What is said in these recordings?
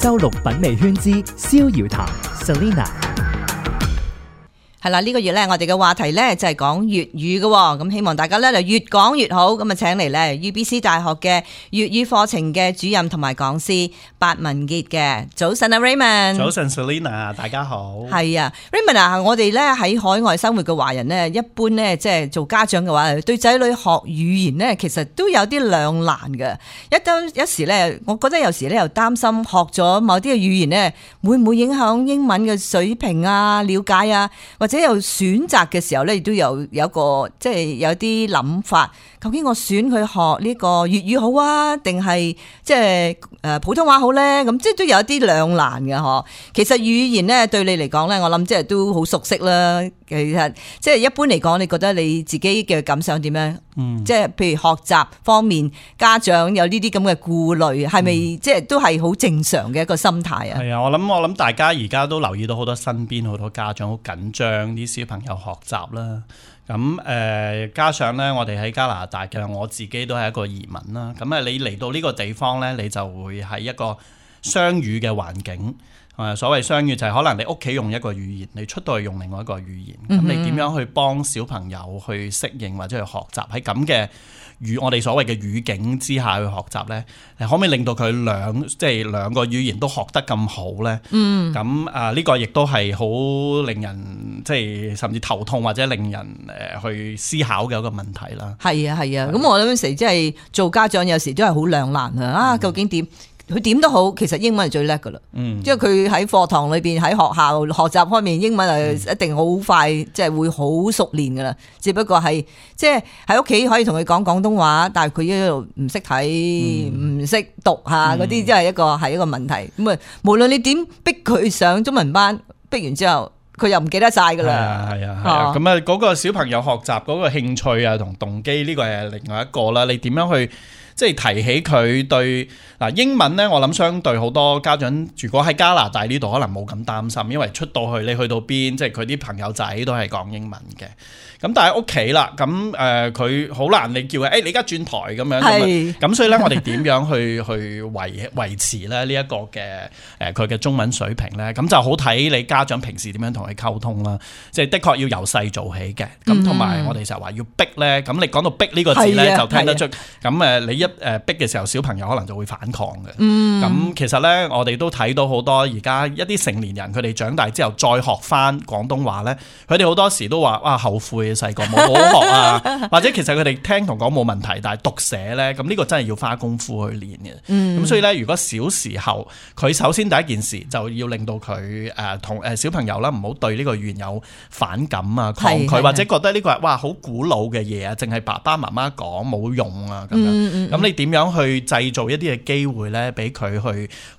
周六品味圈之逍遙談 Selina。係啦，呢個月咧，我哋嘅話題咧就係講粵語嘅，咁希望大家咧就越講越好，咁啊請嚟咧 UBC 大學嘅粵語課程嘅主任同埋講師白文傑嘅。早晨啊 Raymond。早晨 Selina， 大家好。係啊 Raymond 啊，我哋咧喺海外生活嘅華人咧，一般咧即係做家長嘅話，對仔女學語言咧，其實都有啲兩難嘅。一時咧，我覺得有時咧又擔心學咗某啲嘅語言咧，會唔會影響英文嘅水平啊、了解啊，或者有選擇嘅時候咧，亦都有一個即係有啲諗法。究竟我選佢學呢個粵語好啊，定係即係普通話好咧？咁即係都有一啲兩難嘅嗬。其實語言咧對你嚟講咧，我諗即係都好熟悉啦。其實即係一般嚟講，你覺得你自己嘅感想點樣？即係譬如學習方面，家長有呢啲咁嘅顧慮，係咪即係都係好正常嘅一個心態啊？係啊，我諗大家而家都留意到好多身邊好多家長好緊張啲小朋友學習啦。咁加上咧，我哋喺加拿大嘅，我自己都係一個移民啦。咁你嚟到呢個地方咧，你就會係一個雙語嘅環境。所謂雙語就係可能你屋企用一個語言，你出到去用另外一個語言。咁你點樣去幫小朋友去適應或者去學習喺咁嘅我哋所謂嘅語境之下去學習咧？可唔可以令到佢兩個語言都學得咁好咧？咁呢個亦都係好令人即係甚至頭痛或者令人去思考嘅一個問題啦。係啊，咁我諗有時即係做家長有時都係好兩難啊！究竟點？佢點都好，其實英文係最叻噶啦。因為佢喺課堂裏邊喺學校學習方面，英文係一定好快，即係會好熟練噶啦。只不過係即係喺屋企可以同佢講廣東話，但係佢一路唔識睇、唔識讀吓嗰啲，即係一個問題。咁啊，無論你點逼佢上中文班，逼完之後佢又唔記得晒噶啦。係啊。咁啊，嗰個小朋友學習嗰個興趣啊同動機呢個係另外一個啦。你點樣去？即係提起佢對英文呢，我諗相對好多家長，如果喺加拿大呢度可能冇咁擔心，因為出到去你去到邊，即係佢啲朋友仔都係講英文嘅。咁但係屋企啦，咁佢好難你叫佢，你而家轉台咁樣。咁所以呢，我哋點樣去維持咧呢一個嘅佢嘅中文水平呢？咁就好睇你家長平時點樣同佢溝通啦。即係的確要由細做起嘅。咁同埋我哋成日話要逼呢。咁你講到逼呢個字呢，就聽得出。咁你一逼嘅時候，小朋友可能就會反抗嘅。咁其實呢，我哋都睇到好多而家一啲成年人，佢哋長大之後再學翻廣東話呢，佢哋好多時都話哇後悔細個冇好學啊，或者其實佢哋聽同講冇問題，但係讀寫呢，咁呢個真係要花功夫去練嘅。咁所以呢，如果小時候佢首先第一件事就要令到佢同小朋友啦，唔好對呢個語言有反感啊、抗拒，或者覺得呢個係哇好古老嘅嘢啊，淨係爸爸媽媽講冇用啊咁樣。咁你點樣去製造一啲嘅機會咧，俾佢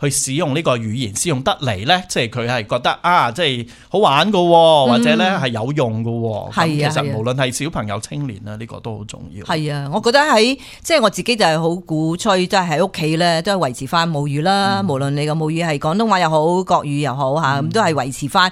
去使用呢個語言，使用得嚟咧，即係佢係覺得即係好玩噶，或者咧係有用噶。咁其實無論係小朋友、青年啦，呢個都好重要。係啊，我覺得即係我自己就係好鼓吹，即係喺屋企咧都係維持翻母語啦。無論你個母語係廣東話又好、國語又好吓，咁都係維持翻。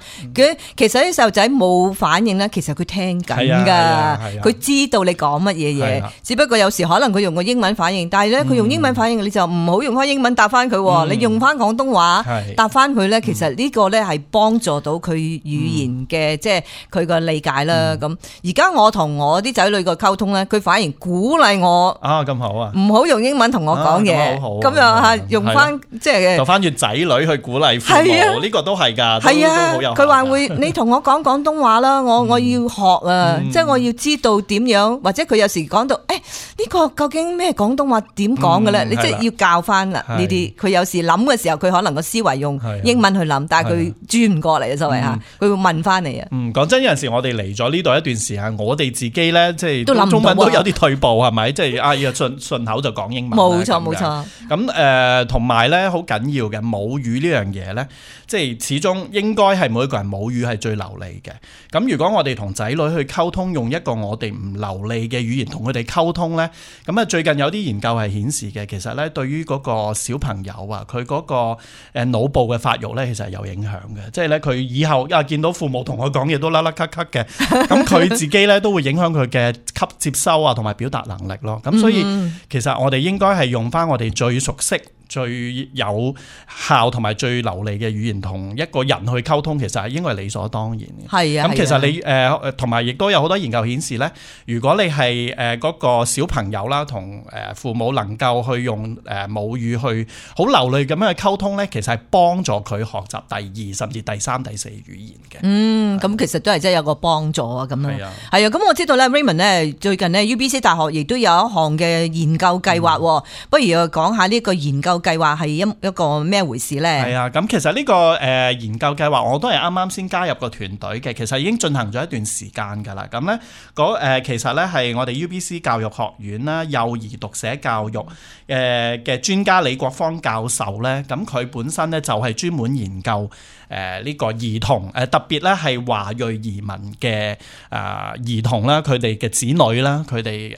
其實啲細路仔冇反應咧，其實佢聽緊噶，佢知道你講乜嘢嘢，只不過有時可能佢用個英文反應，但係咧佢用英文反應，你就唔好用翻英文答翻佢，你用翻廣東話答翻佢咧。其實呢個咧係幫助到佢語言嘅，即係佢個理解啦。咁而家我同我啲仔女個溝通咧，佢反而鼓勵我咁好啊，唔好用英文同我講嘢，咁樣吓用翻即係就翻住仔女去鼓勵父母，呢個都係噶，係啊，佢話會你同我講廣東話啦，我要學啊，即係我要知道點樣，或者佢有時講到呢個究竟咩廣東話點講嘅咧？你即係要教翻啦呢啲。佢有時諗嘅時候，佢可能個思維用英文去諗，但係佢轉唔過嚟啊，所謂吓，佢會問翻你啊。講真，有陣時我哋嚟咗呢度一段時間，我哋自己咧即係中文都有啲退步，係咪？即係要順口就講英文。冇錯。咁同埋咧好緊要嘅母語呢樣嘢咧，即係始終應該係每一個人母語係最流利嘅。咁如果我哋同仔女去溝通，用一個我哋唔流利嘅語言同佢哋溝通咧，咁啊最近有啲研究係顯示嘅，其實咧對於嗰個小朋友啊，佢嗰個腦部嘅發育咧，其實係有影響嘅。即係咧佢以後見到父母同佢講嘢都甩甩咳咳嘅，咁佢自己咧都會影響佢嘅接收啊同埋表達能力咯。咁所以其實我哋應該係用翻我哋最熟悉最有效同埋最流利嘅語言同一個人去溝通，其實係應該係理所當然嘅。係啊，咁其實你同埋亦都有好多研究顯示咧，如果你係嗰個小朋友啦，同父母能夠去用母語去好流利咁樣去溝通咧，其實係幫助佢學習第二甚至第三、第四語言嘅。咁其實都係真係有個幫助啊，咁樣係啊。係啊，咁我知道咧 Raymond 咧最近咧 UBC 大學亦都有一項嘅研究計劃，不如講下呢個研究計劃係一個咩回事咧？係啊，咁其實呢個研究計劃我都係啱啱先加入個團隊嘅，其實已經進行咗一段時間㗎啦。咁咧其實咧係我哋 UBC 教育學院啦，幼兒讀寫教育嘅專家李國芳教授咧，咁佢本身咧就係專門研究呢個兒童特別咧係華裔移民嘅兒童啦，佢哋嘅子女啦，佢哋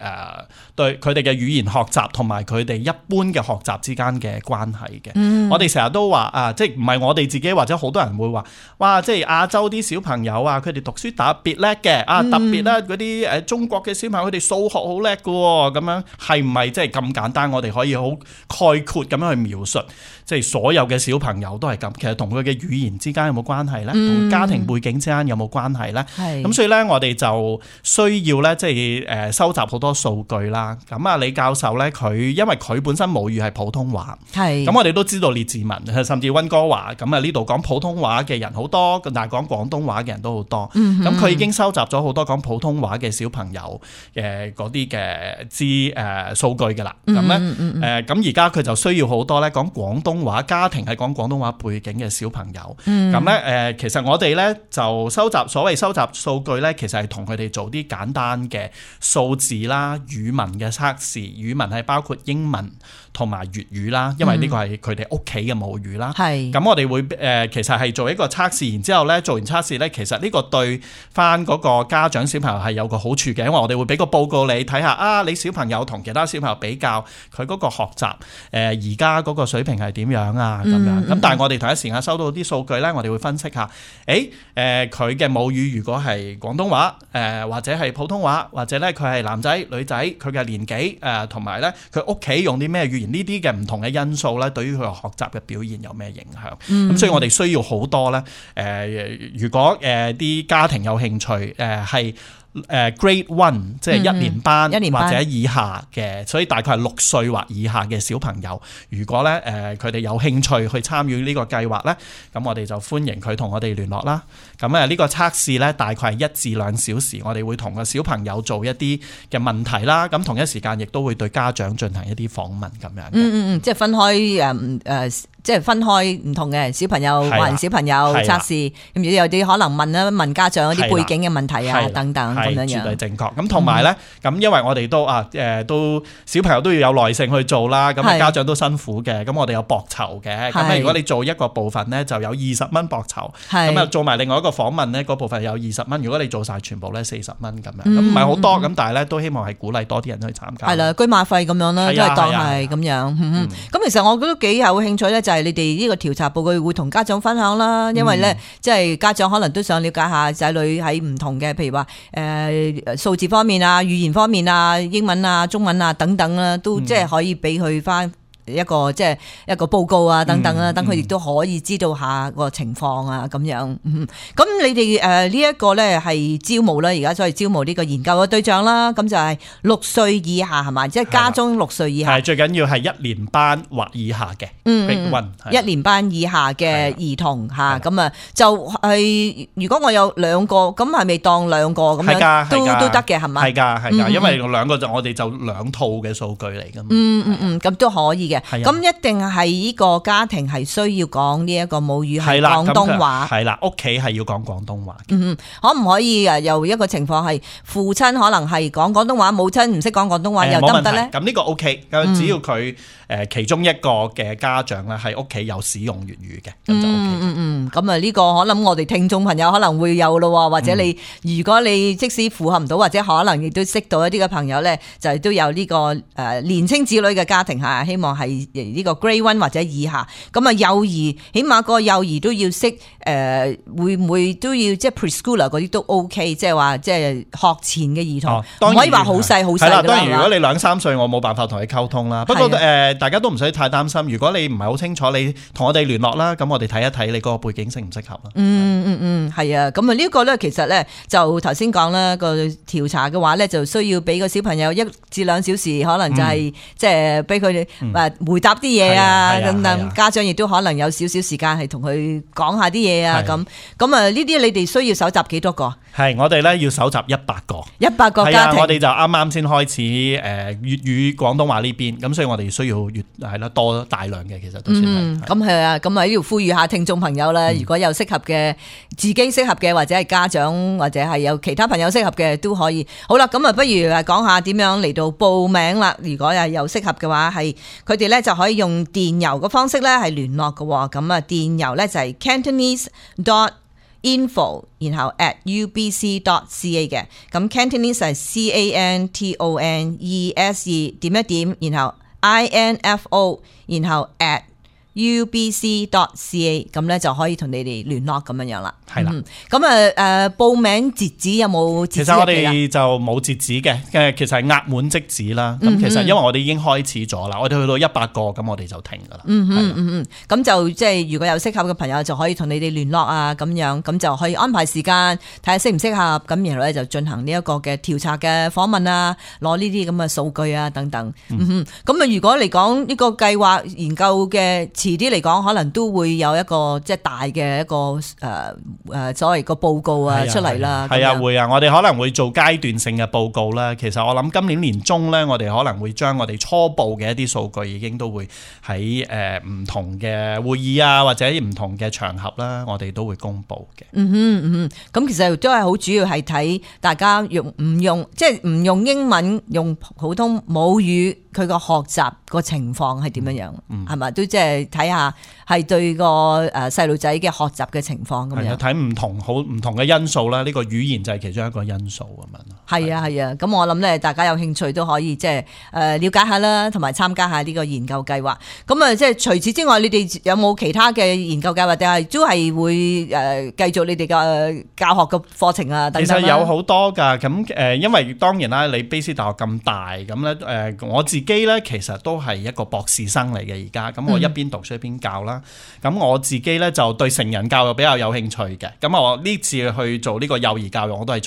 對佢哋嘅語言學習同埋佢哋一般嘅學習之間嘅關係嘅。我哋成日都話即係唔係我哋自己或者好多人會話，哇！即係亞洲啲小朋友啊，佢哋讀書特別叻嘅特別咧嗰啲中國嘅小朋友佢哋數學好叻嘅喎，咁樣係唔係即係咁簡單？我哋可以好概括咁樣去描述，即係所有嘅小朋友都係咁。其實同佢嘅語言之間有冇關係咧？同家庭背景之間有冇關係咧？咁所以咧，我哋就需要咧，即係收集好多數據啦。咁李教授咧，因為佢本身母語係普通話，咁我哋都知道列治文甚至溫哥華咁呢度講普通話嘅人好多，但係講廣東話嘅人都好多。咁佢已經收集咗好多講普通話嘅小朋友嗰啲嘅數據㗎啦。咁咧咁而家佢就需要好多咧講廣東話家庭係講廣東話背景嘅小朋友。咁咧其實我哋咧就所謂收集數據咧，其實係同佢哋做啲簡單嘅數字啦、語文嘅測試。語文係包括英文同埋粵語啦，因為呢個係佢哋屋企嘅母語啦。咁我哋會其實係做一個測試，然之後咧做完測試咧，其實呢個對翻嗰個家長小朋友係有個好處嘅，因為我哋會俾個報告你睇下你小朋友同其他小朋友比較佢嗰個學習而家嗰個水平係點樣啊咁樣。咁但係我哋同一時間收到啲數據咧，我哋會分析下，佢嘅母語如果係廣東話或者係普通話，或者咧佢係男仔女仔，佢嘅年紀同埋咧佢屋企用啲咩語言，呢啲嘅唔同嘅因素咧，對於佢學習嘅表現有咩影響？咁所以我哋需要好多咧如果啲家庭有興趣係Grade 1即係一年班或者以下嘅，所以大概係6歲或以下嘅小朋友，如果咧佢哋有興趣去參與呢個計劃咧，咁我哋就歡迎佢同我哋聯絡啦。咁呢個測試咧大概係1至2小時，我哋會同個小朋友做一啲嘅問題啦。咁同一時間亦都會對家長進行一啲訪問咁樣。即係分開即係分開唔同嘅小朋友華人小朋友測試，咁有啲可能問家長一啲背景嘅問題啊等等咁樣樣。絕對正確。咁同埋咧，咁因為我哋都小朋友都要有耐性去做啦，咁家長都辛苦嘅，咁我哋有博酬嘅。咁如果你做一個部分咧，就有20蚊博酬。咁做埋另外一個訪問咧，嗰部分有20蚊。如果你做晒全部咧，40蚊咁樣。咁唔係好多，咁但係咧都希望係鼓勵多啲人去參加。係啦，居馬費咁樣啦，都係當係咁樣。咁其實我覺得幾有興趣咧，就係你哋呢個調查報告會同家長分享啦，因為咧即係家長可能都想了解下仔女喺唔同嘅，譬如話數字方面啊、語言方面啊、英文啊、中文啊等等啦，都即係可以俾佢翻一個即係一個報告啊等等啦，等佢亦都可以知道下個情況啊咁樣。咁你哋呢一個咧係招募啦，而家所謂招募呢個研究嘅對象啦，咁就係6歲以下係咪？即係家中6歲以下。係最緊要係1年班或以下嘅。1年班以下嘅兒童嚇，咁就係如果我有2個，咁係咪當2個咁樣都得嘅係咪？係㗎，因為2個我哋就2套嘅數據嚟㗎嘛。咁都可以嘅。咁一定係呢個家庭係需要講呢一個母語係廣東話。係啦，屋企係要講廣東話。可唔可以有一個情況係父親可能係講廣東話，母親唔識講廣東話又得唔得咧？咁呢個 OK，只要佢其中一個嘅家長咧喺屋企有使用粵語嘅，咁就 OK。咁呢個可能我哋聽眾朋友可能會有咯，或者你如果你即使符合唔到，或者可能亦都識到一啲嘅朋友咧，就係都有呢個年青子女嘅家庭嚇，希望係係呢個 Grade 1或者以下。咁啊幼兒起碼個幼兒都要識會唔會都要即係 preschooler 嗰啲都 OK， 即係話即係學前嘅兒童，唔可以話好細好細㗎啦。當然如果你2-3歲，我冇辦法同你溝通啦。不過大家都唔使太擔心。如果你唔係好清楚，你同我哋聯絡啦，咁我哋睇一睇你嗰個背景適唔適合啦。係啊。咁啊呢個咧其實咧就頭先講啦，個調查嘅話咧就需要俾個小朋友1至2小時，可能就係即係俾佢哋回答啲嘢啊，咁家長亦都可能有少少時間係同佢講下啲嘢啊，咁啊呢啲你哋需要搜集幾多個？係我哋咧要搜集100個，100個家庭。我哋就啱啱先開始粵語廣東話呢邊，咁所以我哋需要多大量嘅，其實都算係。咁係啊，咁喺呢度呼籲下聽眾朋友啦，如果有適合嘅自己適合嘅，或者係家長或者係有其他朋友適合嘅都可以。好啦，咁啊不如講下點樣嚟到報名啦。如果係有適合嘅話，係佢哋咧就可以用電郵嘅方式咧係聯絡嘅。咁啊電郵咧就係 Cantonese.info 然後 @ubc.ca 嘅。咁 Cantonese 係 CANTONESE 然後 INFO 然後 @ubc.ca 咁咧就可以同你哋聯絡咁樣啦。係啦，咁報名截止有冇截止？其實我哋就冇截止嘅，其實係額滿即止啦。咁其實因為我哋已經開始咗啦，我哋去到100個，咁我哋就停噶啦。咁就即係如果有適合嘅朋友就可以同你哋聯絡啊，咁樣咁就可以安排時間睇下適唔適合，咁然後咧就進行呢一個嘅調查嘅訪問啊，攞呢啲咁嘅數據啊等等。咁啊如果嚟講呢個計劃研究嘅遲啲嚟講，可能都會有一個即係大嘅一個所謂個報告啊出嚟啦。係啊，會啊，我哋可能會做階段性嘅報告啦。其實我諗今年年中咧，我哋可能會將我哋初步嘅一啲數據已經都會喺唔同嘅會議啊，或者唔同嘅場合啦，我哋都會公布嘅。咁其實都係好主要係睇大家用唔用，即係唔用英文，用普通母語，佢個學習個情況係點樣樣，係咪都即係睇下係對個細路仔嘅學習嘅情況咁樣。睇唔同嘅因素啦，呢個語言就係其中一個因素咁樣。係啊，咁我諗咧，大家有興趣都可以即係了解下啦，同埋參加下呢個研究計劃。咁啊，即係除此之外，你哋有冇其他嘅研究計劃？定係都係會繼續你哋嘅教學嘅課程啊？等等。其實有好多㗎，咁因為當然啦，你卑斯大學咁大，咁咧我自己咧其實都係一個博士生嚟嘅而家，咁我一邊讀書一邊教啦。咁我自己咧就對成人教育比較有興趣嘅。咁我呢次去做呢個幼兒教育，我都係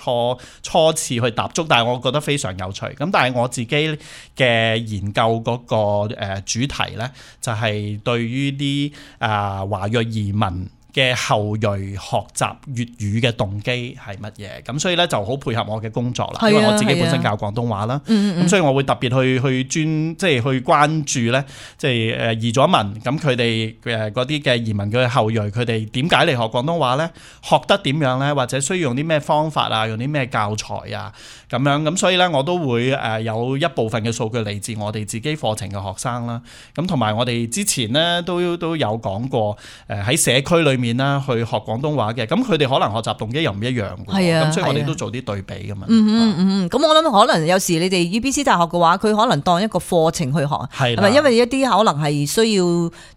初次去踏足，但係我覺得非常有趣。咁但係我自己嘅研究嗰個主題咧，就係對於啲華裔移民嘅後裔學習粵語嘅動機係乜嘢？咁所以咧就好配合我嘅工作啦，因為我自己本身教廣東話啦，咁所以我會特別去即係去關注咧，即係移咗民，咁佢哋嗰啲嘅移民嘅後裔，佢哋點解嚟學廣東話咧？學得點樣咧？或者需要用啲咩方法啊？用啲咩教材啊？咁樣咁所以咧，我都會有一部分嘅數據嚟自我哋自己課程嘅學生啦。咁同埋我哋之前咧都有講過，喺社區裏面啦，去學廣東話嘅，咁佢哋可能學習動機又唔一樣嘅，咁所以我哋都做啲對比噶嘛。咁我諗可能有時你哋 UBC 大學嘅話，佢可能當一個課程去學，係咪？因為一啲可能係需要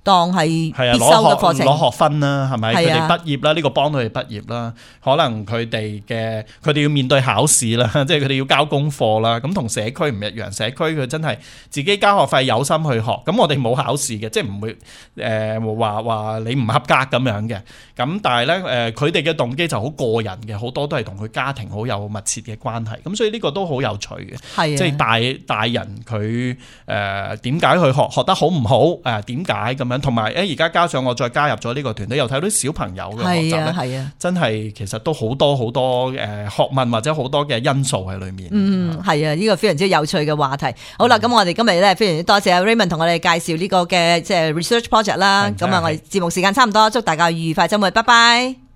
當係必修嘅課程，攞學分啦，係咪？佢哋畢業啦，呢個幫到佢哋畢業啦。可能佢哋要面對考試啦，即係佢哋要交功課啦。咁同社區唔一樣，社區佢真係自己交學費有心去學，咁我哋冇考試嘅，即係唔會話你唔合格咁樣嘅。咁但係咧，佢哋嘅動機就好個人嘅，好多都係同佢家庭好有密切嘅關係。咁所以呢個都好有趣嘅，即係大人佢點解去學得好唔好？點解咁樣？同埋而家加上我再加入咗呢個團隊，又睇到啲小朋友嘅學習咧，真係其實都好多學問或者好多嘅因素喺裏面。係啊，呢個非常之有趣嘅話題。好啦，咁我哋今日咧非常之多謝 Raymond 同我哋介紹呢個嘅即係 research project 啦。咁啊，我哋節目時間差唔多，祝大家愉快週末，拜拜。